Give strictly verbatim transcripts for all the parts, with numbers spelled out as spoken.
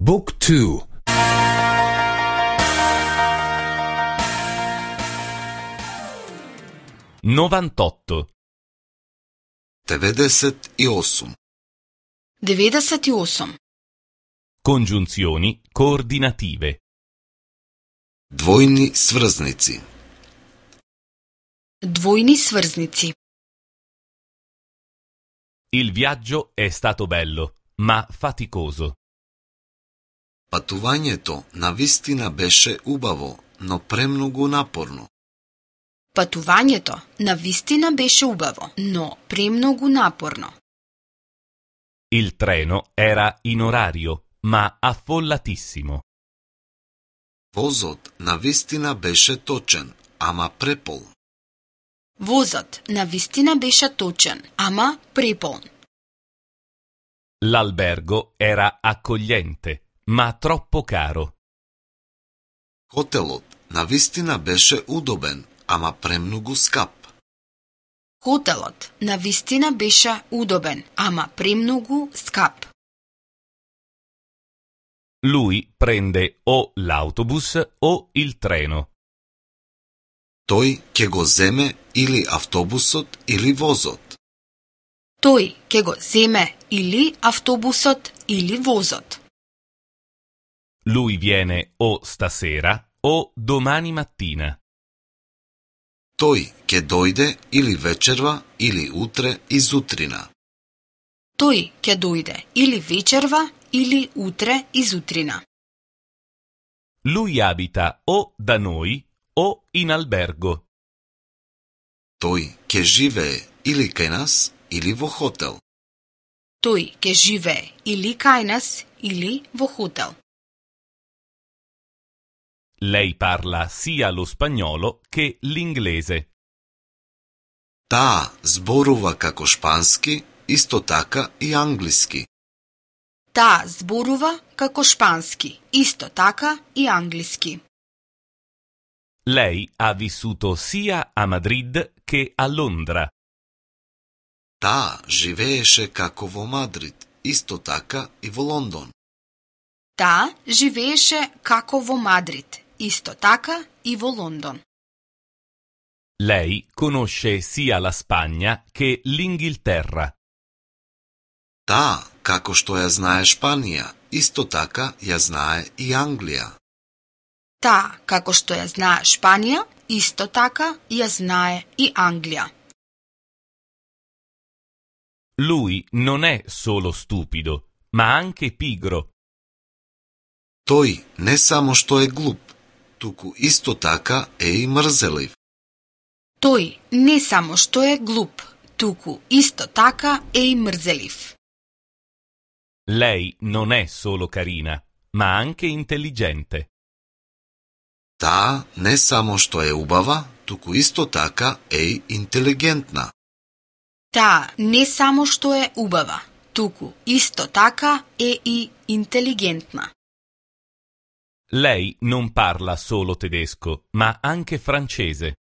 Book two. novantotto. деветдесет и осум. деветдесет и осум. Congiunzioni coordinative. Двојни сврзници. Двојни сврзници. Il viaggio è stato bello, ma faticoso. Патувањето навистина беше убаво, но премногу напорно. Патувањето навистина беше убаво, но премногу напорно. Il treno era in orario, ma affollatissimo. Возот навистина беше точен, ама препол. Возот навистина беше точен, ама преполн. L'albergo era accogliente, ma troppo caro. Хотелот навистина беше удобен, ама премногу скап. Хотелот навистина беше удобен, ама премногу скап. Lui prende o l'autobus o il treno. Тој ќе го земе или автобусот или возот. Тој ќе го земе или автобусот или возот. Lui viene o stasera o domani mattina. Тој ќе дојде или вечерва или утре изутрина. Тој ќе дојде или вечерва или утре изутрина. Lui abita o da noi o in albergo. Тој ќе живее или кај нас или во хотел. Тој ќе живее или кај нас или во хотел. Lei parla sia lo spagnolo che l'inglese. Таа зборува како шпански, исто така и англиски. Таа зборува како шпански, исто така и англиски. Lei ha vissuto sia a Madrid che a Londra. Таа живееше како во Мадрид, исто така и во Лондон. Таа живееше како во Мадрид, исто така и во Лондон. Lei conosce sia la Spagna che l'Inghilterra. Таа, како што ја знае Шпанија, исто така ја знае и Англија. Таа, како што ја знае Шпанија, исто така ја знае и Англија. Lui non è solo stupido, ma anche pigro. Тој не само што е глуп, туку исто така е и мрзелив. Тој не само што е глуп, туку исто така е и мрзелив. Lei non è solo carina, ma anche intelligente. Таа не само што е убава, туку исто така е и интелигентна. Таа не само што е убава, туку исто така е и интелигентна. Lei non parla solo tedesco, ma anche francese.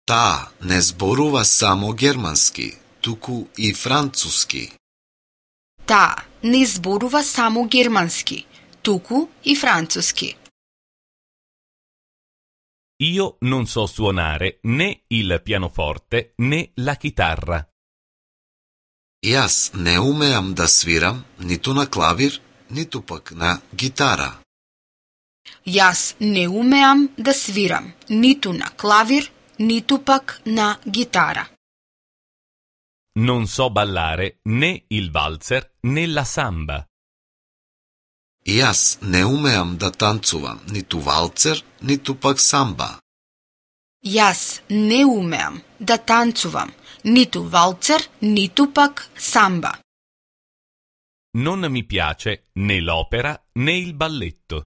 Таа не зборува само германски, туку и француски. Таа не зборува само германски, туку и француски. Io non so suonare né il pianoforte né la chitarra. Јас не умеам да свирам ниту на клавир, ниту пак на гитара. Јас не умеам да свирам ниту на клавир, ниту пак на гитара. Non so ballare né il valzer né la samba. Јас не умеам да танцувам ниту валцер, ниту пак самба. Јас не умеам да танцувам ниту валцер, ниту пак самба. Non mi piace né l'opera né il balletto.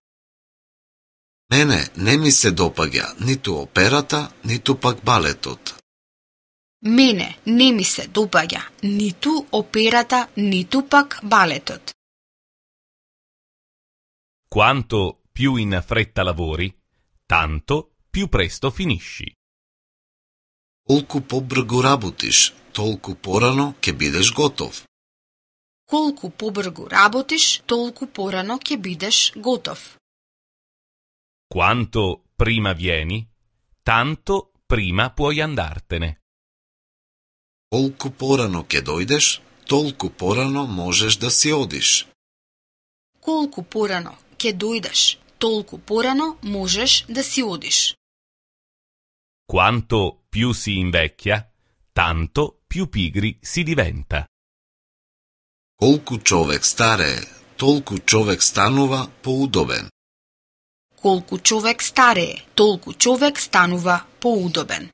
Мене не ми се допаѓа ниту операта, ниту пак балетот. Мене не ми се допаѓа ниту операта, ниту пак балетот. Quanto più in fretta lavori, tanto più presto finisci. Колку побрзо работиш, толку порано ќе бидеш готов. Колку побрзо работиш, толку порано ќе бидеш готов. Quanto prima vieni, tanto prima puoi andartene. Колку порано ќе дојдеш, толку порано можеш да си одиш. Колку порано ќе дојдеш, толку порано можеш да си одиш. Quanto più si invecchia, tanto più pigri si diventa. Колку човек старее, толку човек станува поудобен. Колку човек старее, толку човек станува поудобен.